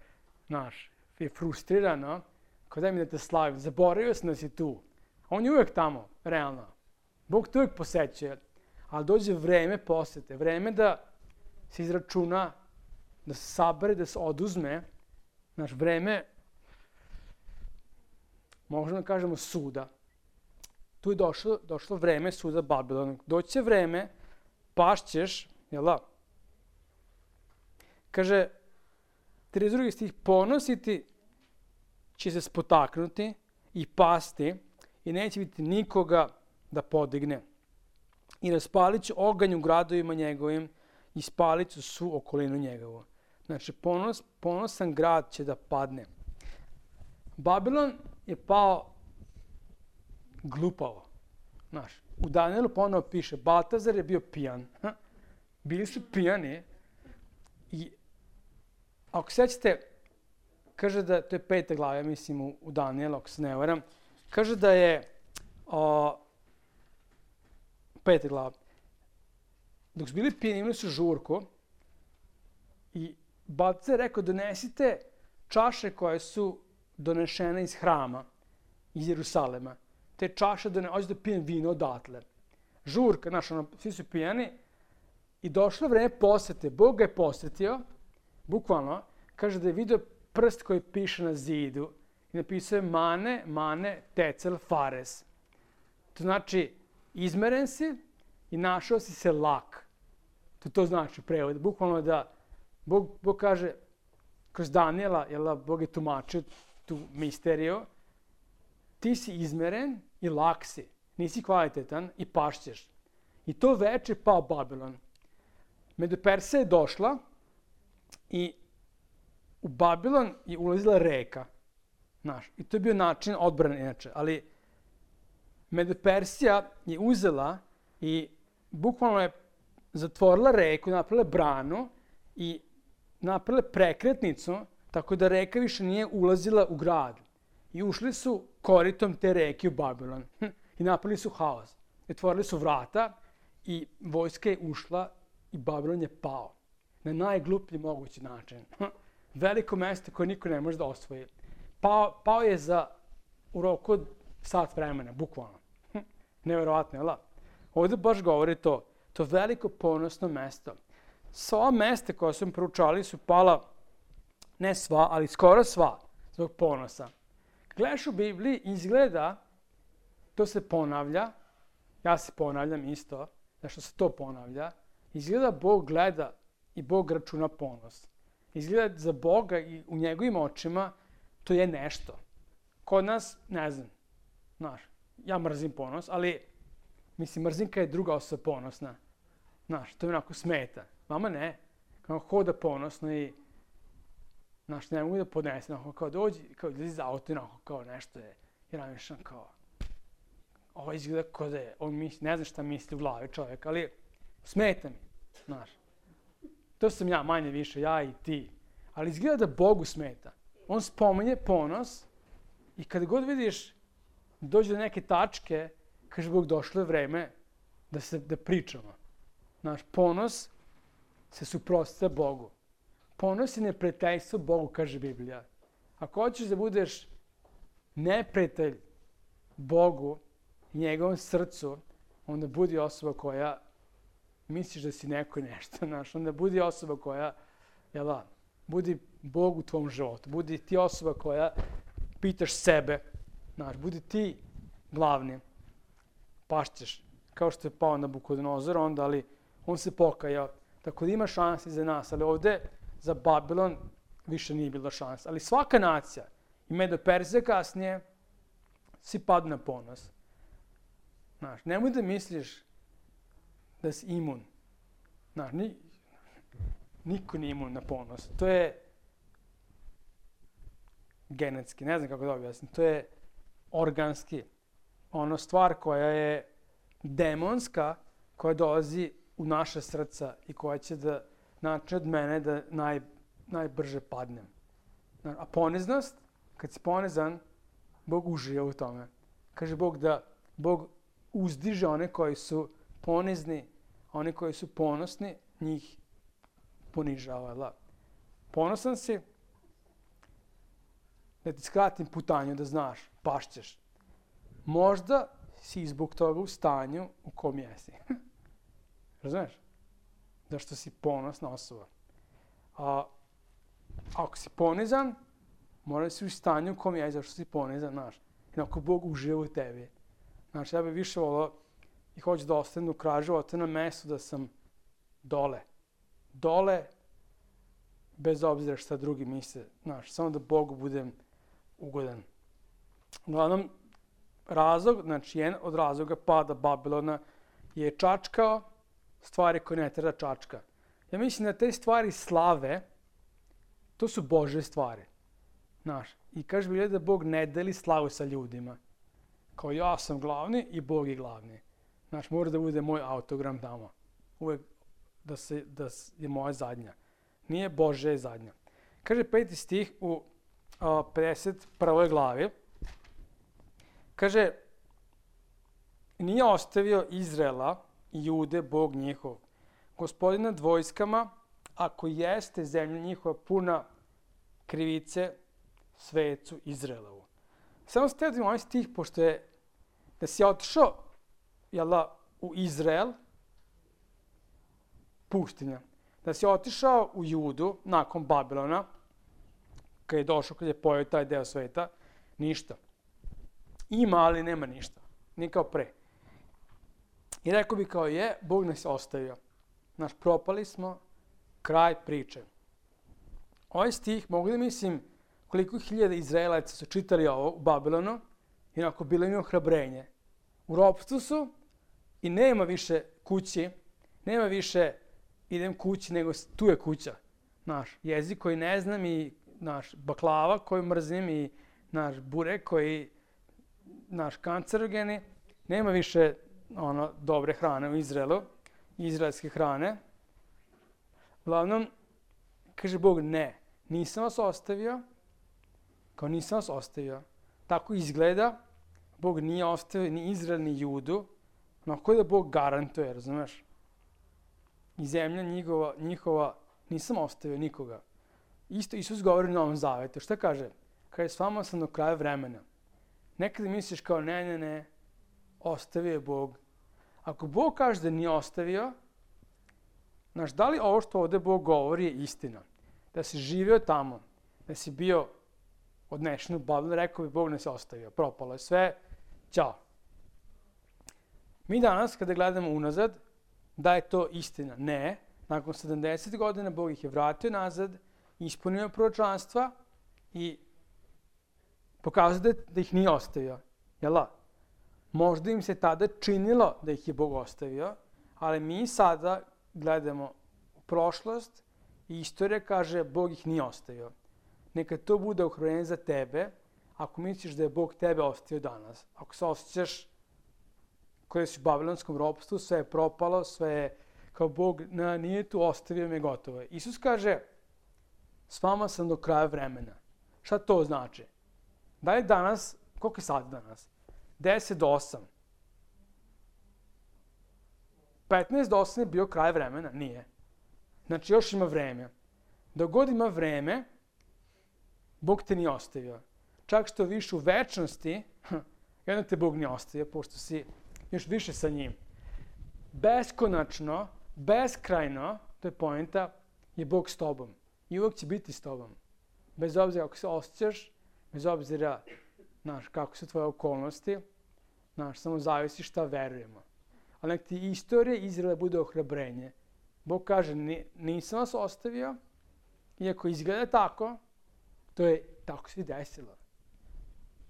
znaš, je frustrirano, kao daj mi da te slavim, zaboravio sam da si tu. On je uvek tamo, realno. Bog te uvek posećuje, ali dođe vreme posete, vreme da se izračuna, da se sabere, da se oduzme, znaš, vreme, možemo da kažemo suda. Tu je došlo, došlo vreme suda Babilona. Doće vreme, pašćeš, jel da? Kaže, trideset drugi stih, ponositi će se spotaknuti i pasti i neće biti nikoga da podigne. I raspalit će oganj u gradovima njegovim i spalit će svu okolinu njegovu. Znači, ponos, ponosan grad će da padne. Babilon je pao glupavo. Znaš, u Danielu ponovo piše, Baltazar je bio pijan. Ha? Bili su pijani i ako sećate, kaže da, to je peta glava, ja mislim u, u Danielu, ako se ne varam, kaže da je o, peta glava. Dok su bili pijani, imali su žurku i Baltazar je rekao, donesite čaše koje su donešene iz hrama, iz Jerusalema. Te čaše, da ne hoće da pijem vino odatle. Žurka, znaš, ono, svi su pijani i došlo vreme posete. Bog ga je posetio, bukvalno, kaže da je vidio prst koji piše na zidu i napisao je mane, mane, tecel, fares. To znači, izmeren si i našao si se lak. To to znači u prevodu. Bukvalno da Bog, Bog kaže, kroz Daniela, jel, Bog je tumačio tu misteriju, ti si izmeren i lak si, nisi kvalitetan i pašćeš. I to veče pao Babilon. Medopersija je došla i u Babilon je ulazila reka. Znaš, i to je bio način odbrane inače, ali Medopersija je uzela i bukvalno je zatvorila reku, napravila branu i napravila prekretnicu, tako da reka više nije ulazila u grad. I ušli su koritom te reke u Babilon i napravili su haos. Otvorili su vrata i vojska je ušla i Babilon je pao. Na najgluplji mogući način. Veliko mesto koje niko ne može da osvoji. Pao, pao je za u roku od sat vremena, bukvalno. Neverovatno, jel da? Ovdje baš govori to. To veliko ponosno mesto. Sva mesta koja su proučali su pala, ne sva, ali skoro sva, zbog ponosa. Gledaš u Bibliji, izgleda, to se ponavlja, ja se ponavljam isto, zašto se to ponavlja, izgleda Bog gleda i Bog računa ponos. Izgleda za Boga i u njegovim očima to je nešto. Kod nas, ne znam, znaš, ja mrzim ponos, ali mislim, mrzinka je druga osoba ponosna. Znaš, to mi onako smeta. Vama ne, kao hoda ponosno i znaš, ne mogu da podnesem, onako kao dođi, kao da iz auto, onako kao nešto je, i ramišljam kao, ovo izgleda kao da je, on misli, ne znam šta misli u glavi čovjek, ali smeta mi, znaš. To sam ja, manje više, ja i ti. Ali izgleda da Bogu smeta. On spominje ponos i kada god vidiš, dođe do neke tačke, kaže Bog, došlo je vreme da se da pričamo. Znaš, ponos se suprotstavlja Bogu. Ponos je neprijateljstvo Bogu, kaže Biblija. Ako hoćeš da budeš neprijatelj Bogu i njegovom srcu, onda budi osoba koja misliš da si neko i nešto, znaš. Onda budi osoba koja, jel da, budi Bog u tvom životu. Budi ti osoba koja pitaš sebe, znaš, budi ti glavni. Pašćeš, kao što je pao Nabukodonozor onda, ali on se pokajao. Tako da ima šanse za nas, ali ovde za Babilon više nije bilo šanse. Ali svaka nacija, i Medo-Perzija kasnije, svi padnu na ponos. Znaš, nemoj da misliš da si imun. Znaš, ni, niko nije imun na ponos. To je genetski, ne znam kako da objasnim, to je organski. Ono stvar koja je demonska, koja dolazi u u naše srca i koja će da naći od mene da naj, najbrže padnem. A poniznost, kad si ponizan, Bog uživa u tome. Kaže Bog da Bog uzdiže one koji su ponizni, a oni koji su ponosni, njih ponižava. Ponosan si, da ti skratim putanju, da znaš, pašćeš. Možda si zbog toga u stanju u kom jesi. Razumeš? Zašto si ponosna osoba. A ako si ponizan, mora si u stanju u kom jesi, zašto si ponizan, znaš. I ako Bog uživa u tebi. Znači, ja bih više volao i hoću da ostanem do kraja života na mestu da sam dole. Dole, bez obzira šta drugi misle. Znaš, samo da Bogu budem ugodan. Uglavnom, razlog, znači jedan od razloga pada Babilona je čačkao stvari koje ne treba čačka. Ja mislim da te stvari slave, to su Božje stvari. Znaš, i kaže Biblija da Bog ne deli slavu sa ljudima. Kao ja sam glavni i Bog je glavni. Znaš, mora da bude moj autogram tamo. Uvek da, se, da je moja zadnja. Nije Božja je zadnja. Kaže peti stih u a, pedeset prvoj glavi. Kaže, nije ostavio Izraela i Jude Bog njihov. Gospodin nad vojskama, ako jeste zemlja njihova puna krivice svecu Izraelovu. Samo ste da ovaj stih, pošto je da si otišao jela, u Izrael, pustinja. Da si otišao u Judu nakon Babilona, kad je došao, kad je pojao taj deo sveta, ništa. Ima, ali nema ništa. Nije kao pre. I rekao bi kao je, Bog nas je ostavio. Naš propali smo, kraj priče. Ovaj stih, mogu da mislim koliko hiljada Izraelaca su čitali ovo u Babilonu i onako bilo im ohrabrenje. U ropstvu su i nema više kući, nema više idem kući, nego tu je kuća. Naš jezik koji ne znam i naš baklava koju mrzim i naš burek koji naš kancerogeni. Nema više ono dobre hrane u Izraelu, izraelske hrane. Uglavnom, kaže Bog, ne, nisam vas ostavio, kao nisam vas ostavio. Tako izgleda, Bog nije ostavio ni Izrael, ni Judu, onako da Bog garantuje, razumeš? I zemlja njihova, njihova, nisam ostavio nikoga. Isto Isus govori u Novom Zavetu. Šta kaže? Kaže, s vama sam do kraja vremena. Nekada misliš kao, ne, ne, ne, ostavio je Bog. Ako Bog kaže da nije ostavio, znaš, da li ovo što ovde Bog govori je istina? Da si živio tamo, da si bio odnešen u Babilon, rekao bi Bog ne se ostavio, propalo je sve, ćao. Mi danas, kada gledamo unazad, da je to istina? Ne. Nakon sedamdeset godina Bog ih je vratio nazad, ispunio proročanstva i pokazao da ih nije ostavio. Jel da? Možda im se tada činilo da ih je Bog ostavio, ali mi sada gledamo u prošlost i istorija kaže Bog ih nije ostavio. Neka to bude ohrabrenje za tebe ako misliš da je Bog tebe ostavio danas. Ako se osjećaš koji si u babilonskom ropstvu, sve je propalo, sve je kao Bog na, nije tu, ostavio me, gotovo je. Isus kaže, s vama sam do kraja vremena. Šta to znači? Da li danas, koliko je sati danas? deset do osam. petnaest do osam je bio kraj vremena? Nije. Znači još ima vreme. Dok god ima vreme, Bog te nije ostavio. Čak što više u večnosti, jedno te Bog nije ostavio, pošto si još više sa njim. Beskonačno, beskrajno, to je poenta, je Bog s tobom. I uvijek će biti s tobom. Bez obzira kako se osjećaš, bez obzira znaš, kako su tvoje okolnosti, znaš, samo zavisi šta verujemo. Ali nek ti istorija Izraela bude ohrabrenje. Bog kaže, nisam vas ostavio, iako izgleda tako, to je tako se desilo.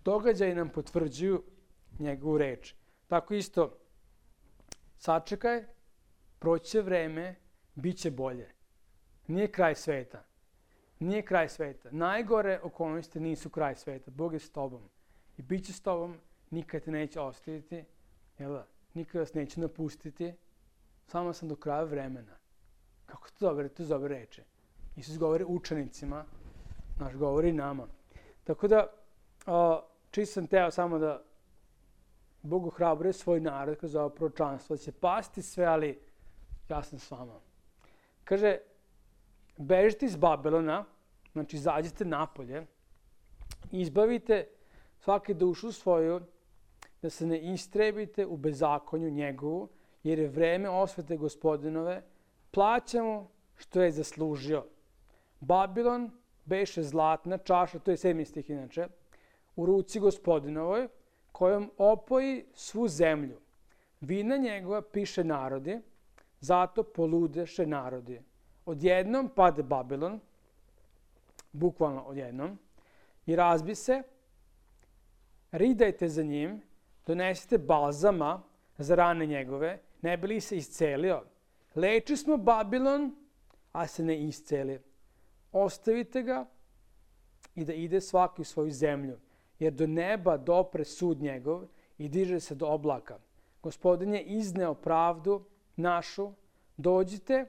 Događaji nam potvrđuju njegovu reč. Tako isto, sačekaj, proći će vreme, bit će bolje. Nije kraj sveta. Nije kraj sveta. Najgore okolnosti nisu kraj sveta. Bog je s tobom. I bit će s tobom, nikad te neće ostaviti, jel da? Nikad vas neće napustiti. Samo sam do kraja vremena. Kako to dobro, to dobro reče. Isus govori učenicima, naš govori nama. Tako da, čisto sam teo samo da Bog ohrabruje svoj narod kroz ovo proročanstvo, da će pasti sve, ali ja sam s vama. Kaže, bežite iz Babilona, znači izađite napolje, izbavite svake dušu svoju, da se ne istrebite u bezakonju njegovu, jer je vreme osvete Gospodinove, plaća mu što je zaslužio. Babilon beše zlatna čaša, to je sedmi stih inače, u ruci Gospodinovoj, kojom opoji svu zemlju. Vina njegova piše narodi, zato poludeše narodi. Odjednom pade Babilon, bukvalno odjednom, i razbi se, ridajte za njim, donesite balzama za rane njegove, ne bi li se iscelio. Leči smo Babilon, a se ne isceli. Ostavite ga i da ide svaki u svoju zemlju, jer do neba dopre sud njegov i diže se do oblaka. Gospodin je izneo pravdu našu, dođite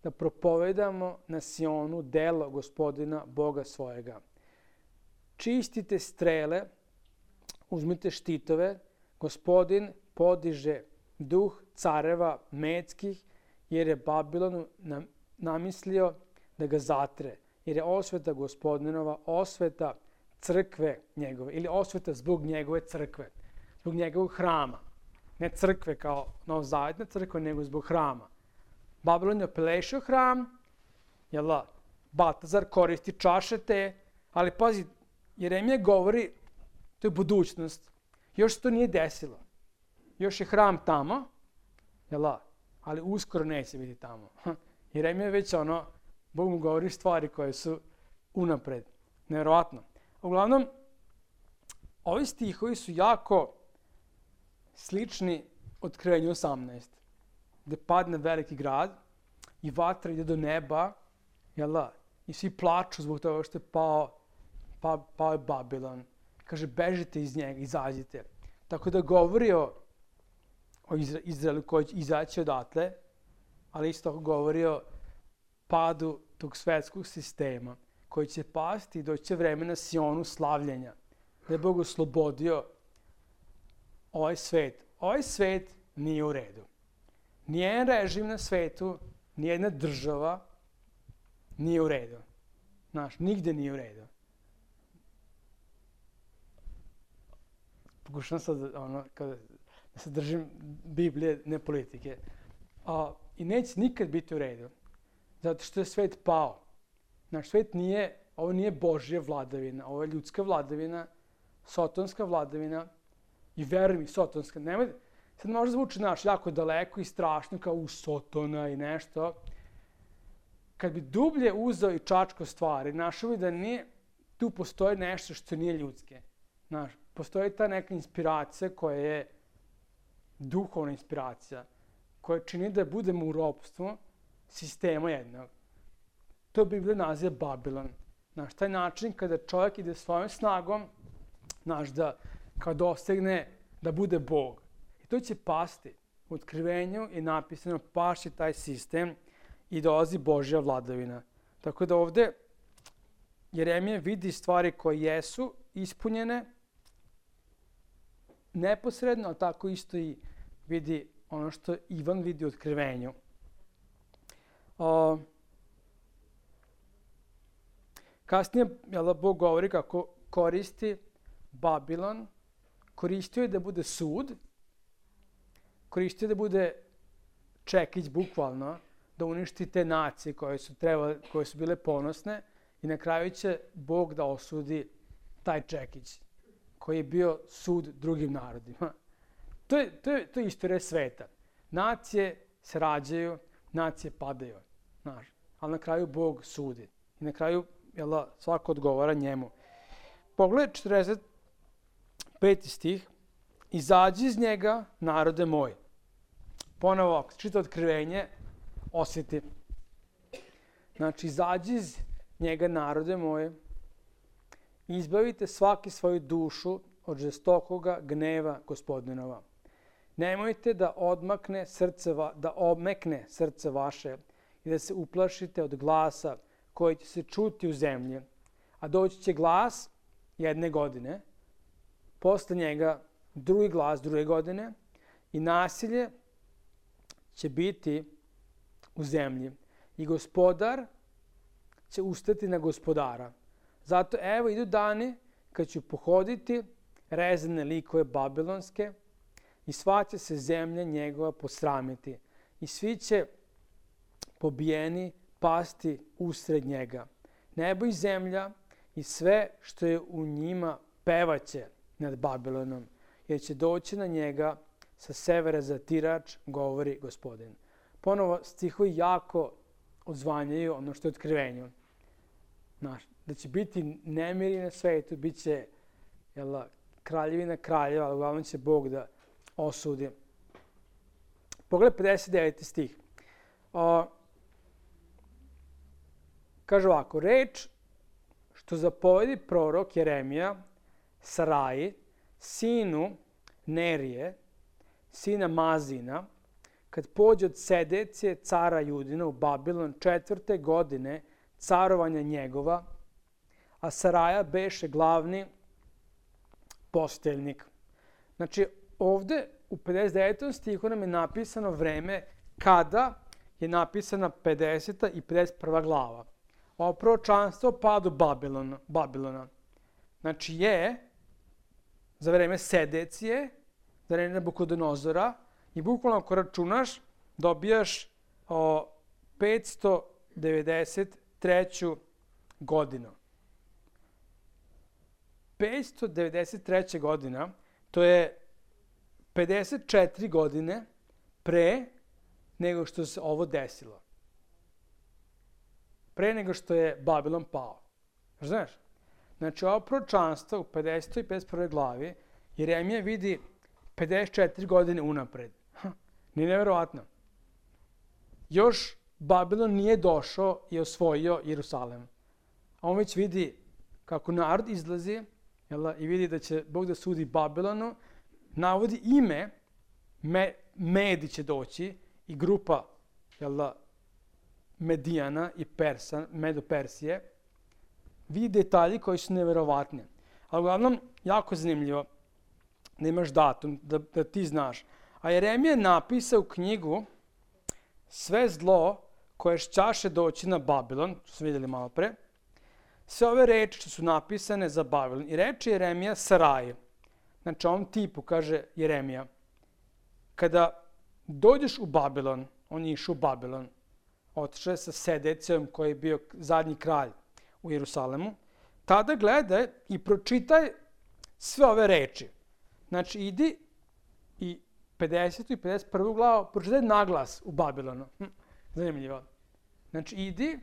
da propovedamo na Sionu delo Gospodina Boga svojega. Čistite strele, uzmite štitove, Gospodin podiže duh careva medskih, jer je Babilonu namislio da ga zatre, jer je osveta Gospodinova, osveta crkve njegove, ili osveta zbog njegove crkve, zbog njegovog hrama. Ne crkve kao novozavetna crkva, nego zbog hrama. Babilon je opelešio hram, jel da, Baltazar koristi čaše te, ali pazi, Jeremija govori, to je budućnost, još se to nije desilo. Još je hram tamo, jel da, ali uskoro neće biti tamo. Jeremija je već ono, Bog mu govori stvari koje su unapred. Nevjerovatno. Uglavnom, ovi stihovi su jako slični Otkrivenju osamnaest, gde padne veliki grad i vatra ide do neba, jel da, i svi plaču zbog toga što je pao, pa, pao je Babilon. Kaže, bežite iz njega, izađite. Tako da govori o, o Izraelu koji će izaći odatle, ali isto govori o padu tog svetskog sistema koji će pasti i doći će vreme na Sionu slavljenja. Da je Bog oslobodio ovaj svet. Ovaj svet nije u redu. Nijedan režim na svetu, nijedna država nije u redu. Znaš, nigde nije u redu. Pokušam sad ono, kada, da se držim Biblije, ne politike. A, I neće nikad biti u redu. Zato što je svet pao. Naš svet nije, ovo nije Božja vladavina, ovo je ljudska vladavina, sotonska vladavina i veruj mi, sotonska. Nemoj, sad možda zvuči naš jako daleko i strašno kao u Sotona i nešto. Kad bi dublje uzeo i čačko stvari, našao bi da nije, tu postoji nešto što nije ljudske. Znaš, postoji ta neka inspiracija koja je duhovna inspiracija, koja čini da budemo u ropstvu sistema jednog. To Biblija naziva Babilon. Znaš, taj način kada čovjek ide svojom snagom, znaš, da kao dosegne da bude Bog. I to će pasti. U Otkrivenju je napisano paši taj sistem i dolazi Božja vladavina. Tako da ovde Jeremija vidi stvari koje jesu ispunjene neposredno, ali tako isto i vidi ono što Ivan vidi u Otkrivenju. O, kasnije, jel, Bog govori kako koristi Babilon, koristio je da bude sud, koristio je da bude čekić, bukvalno, da uništi te nacije koje su, trebale, koje su bile ponosne i na kraju će Bog da osudi taj čekić koji je bio sud drugim narodima. To je, to je, to je istorija sveta. Nacije se rađaju, nacije padaju, znaš, ali na kraju Bog sudi. I na kraju, jel, svako odgovara njemu. Pogledaj četrdeset peti stih. Izađi iz njega, narode moj. Ponovo, ako čita Otkrivenje, osjeti. Znači, izađi iz njega, narode moje, izbavite svaki svoju dušu od žestokoga gneva Gospodinova. Nemojte da odmakne srce, va, da omekne srce vaše i da se uplašite od glasa koji će se čuti u zemlji. A doći će glas jedne godine, posle njega drugi glas druge godine i nasilje će biti u zemlji. I gospodar će ustati na gospodara. Zato evo idu dani kad ću pohoditi rezane likove babilonske i sva će se zemlja njegova posramiti. I svi će pobijeni pasti usred njega. Nebo i zemlja i sve što je u njima pevaće nad Babilonom, jer će doći na njega sa severa zatirač, govori Gospodin. Ponovo stihovi jako odzvanjaju ono što je otkrivenju. Znaš, da će biti nemiri na svetu, bit će jel, kraljevina kraljeva, ali uglavnom će Bog da osudi. Pogledaj pedeset deveti stih. O, kaže ovako, reč što zapovedi prorok Jeremija Saraji, sinu Nerije, sina Mazina, kad pođe od Sedecije cara Judina u Babilon četvrte godine carovanja njegova, a Saraja beše glavni posteljnik. Znači, ovde u pedeset devetom stihu nam je napisano vreme kada je napisana pedeseta i pedeset prva glava. Ovo proročanstvo o padu Babilona, Babilona. Znači je za vreme Sedecije, za vreme Nabukodonozora i bukvalno ako računaš dobijaš o, petsto devedeset treću godinu. petsto devedeset treća godina, to je pedeset četiri godine pre nego što se ovo desilo. Pre nego što je Babilon pao. Znaš? Znači, ovo proročanstvo u pedesetoj i pedeset prvoj glavi Jeremija vidi pedeset četiri godine unapred. Ha, nije nevjerovatno. Još Babilon nije došao i osvojio Jerusalem. A on već vidi kako narod izlazi jel, i vidi da će Bog da sudi Babilonu. Navodi ime, me, Medi će doći i grupa jel, Medijana i Persa, Medo-Persije. Vidi detalji koji su neverovatni. Ali uglavnom, jako zanimljivo da imaš datum, da, da ti znaš. A Jeremija je napisao knjigu sve zlo koje šćaše doći na Babilon, što smo vidjeli malo pre, sve ove reči što su napisane za Babilon. I reči Jeremija Saraji. Znači, ovom tipu, kaže Jeremija, kada dođeš u Babilon, on je išao u Babilon, otišao je sa Sedecijom koji je bio zadnji kralj u Jerusalemu, tada gledaj i pročitaj sve ove reči. Znači, idi i pedesetu i pedeset prvu glavu pročitaj naglas u Babilonu. Hm, zanimljivo. Znači, idi,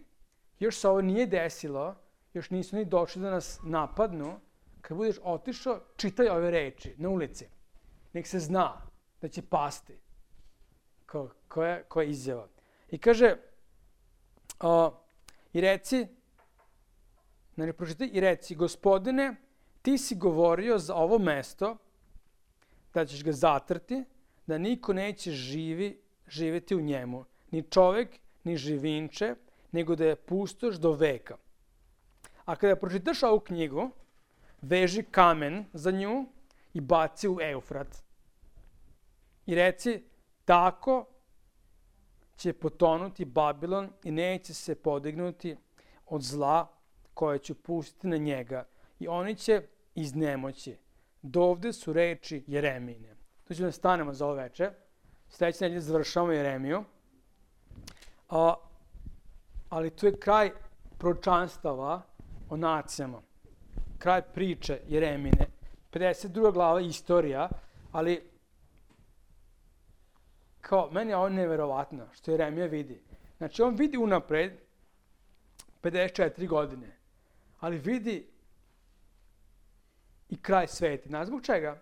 još se ovo nije desilo, još nisu ni došli da nas napadnu, kad budeš otišao, čitaj ove reči na ulici. Nek se zna da će pasti. Ko, koja, koja je izjava. I kaže, o, i reci, znači pročitaj, i reci, Gospodine, ti si govorio za ovo mesto, da ćeš ga zatrti, da niko neće živi, živjeti u njemu, ni čovjek, ni živinče, nego da je pustoš do veka. A kada pročitaš ovu knjigu, veži kamen za nju i baci u Eufrat. I reci, tako će potonuti Babilon i neće se podignuti od zla koje ću pustiti na njega. I oni će iznemoći. Dovde su reči Jeremine. Tu ćemo da stanemo za ovo veče. Sljedeće nedelje završavamo Jeremiju. A, ali tu je kraj proročanstava o nacijama. Kraj priče Jeremine. pedeset druga glava istorija, ali kao, meni je ovo neverovatno što Jeremija vidi. Znači, on vidi unapred pedeset četiri godine, ali vidi i kraj sveta. Znaš zbog čega?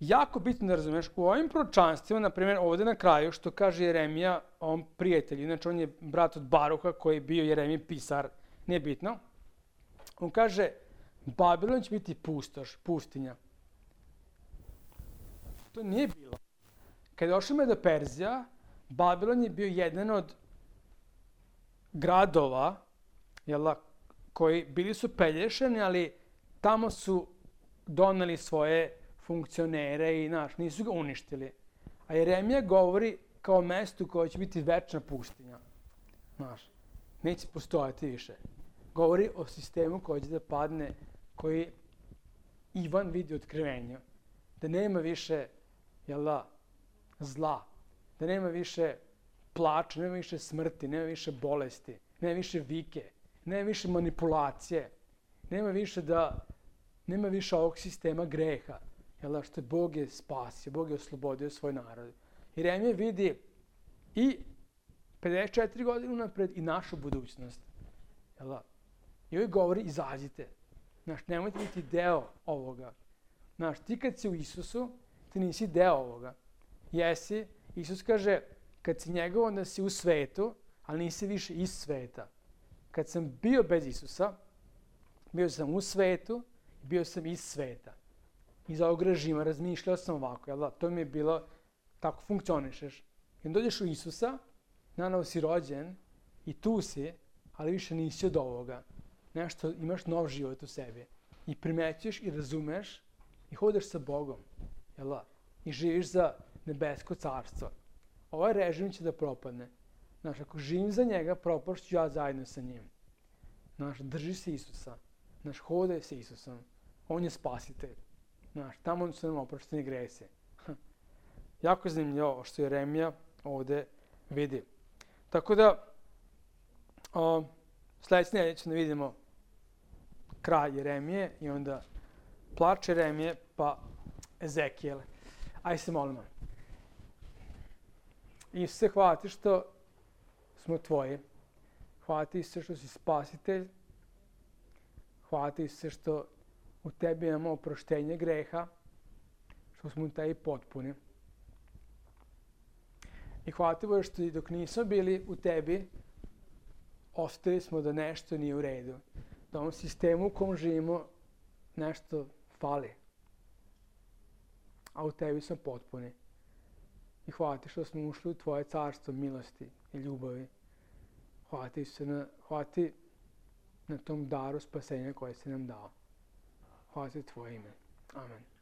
Jako bitno da razumeš, u ovim proročanstvima, na primjer ovdje na kraju, što kaže Jeremija ovom prijatelju, znači on je brat od Baruha koji je bio Jeremij pisar, nije bitno. On kaže, Babilon će biti pustoš, pustinja. To nije bilo. Kad je došao Medo Perzija, Babilon je bio jedan od gradova, jel, koji bili su pelješani, ali tamo su doneli svoje funkcionere i naš, nisu ga uništili. A Jeremija govori kao mestu koje će biti večna pustinja. Znaš, neće postojati više. Govori o sistemu koji će da padne, koji Ivan vidi u otkrivenju. Da nema više, jel da, zla. Da nema više plača, nema više smrti, nema više bolesti, nema više vike, nema više manipulacije, nema više da, nema više ovog sistema greha. Jel da, što je Bog je spasio, Bog je oslobodio svoj narod. Jeremija vidi i pedeset četiri godine unapred i našu budućnost. Jel da? I ovdje govori, izađite. Znaš, nemojte biti deo ovoga. Znaš, ti kad si u Isusu, ti nisi deo ovoga. Jesi, Isus kaže, kad si njegov, onda si u svetu, ali nisi više iz sveta. Kad sam bio bez Isusa, bio sam u svetu i bio sam iz sveta. Iz ovog režima razmišljao sam ovako, jel da? To mi je bilo, tako funkcionišeš. I onda dođeš u Isusa, nanovo si rođen i tu si, ali više nisi od ovoga. Nešto, imaš nov život u sebi. I primećuješ i razumeš i hodeš sa Bogom, jel da? I živiš za nebesko carstvo. Ovaj režim će da propadne. Znaš, ako živim za njega, propašću ja zajedno sa njim. Znaš, drži se Isusa. Znaš, hodaj sa Isusom. On je spasitelj. Znaš, tamo su nam oprošteni gresi. Jako je zanimljivo što Jeremija ovde vidi. Tako da, o, sledeće nedelje ćemo da vidimo kraj Jeremije i onda plač Jeremije pa Ezekijel. Ajde se molimo. Isuse, hvala ti što smo tvoji. Hvala ti se što si spasitelj. Hvala ti se što u tebi imamo oproštenje greha, što smo u tebi potpuni. I hvala ti Bože što i dok nismo bili u tebi, ostali smo da nešto nije u redu. Da ovom sistemu u kom živimo nešto fali. A u tebi smo potpuni. I hvala ti što smo ušli u tvoje carstvo milosti i ljubavi. Hvala ti, se na, hvala ti na tom daru spasenja koje si nam dao. Hvala ti tvoje ime. Amen.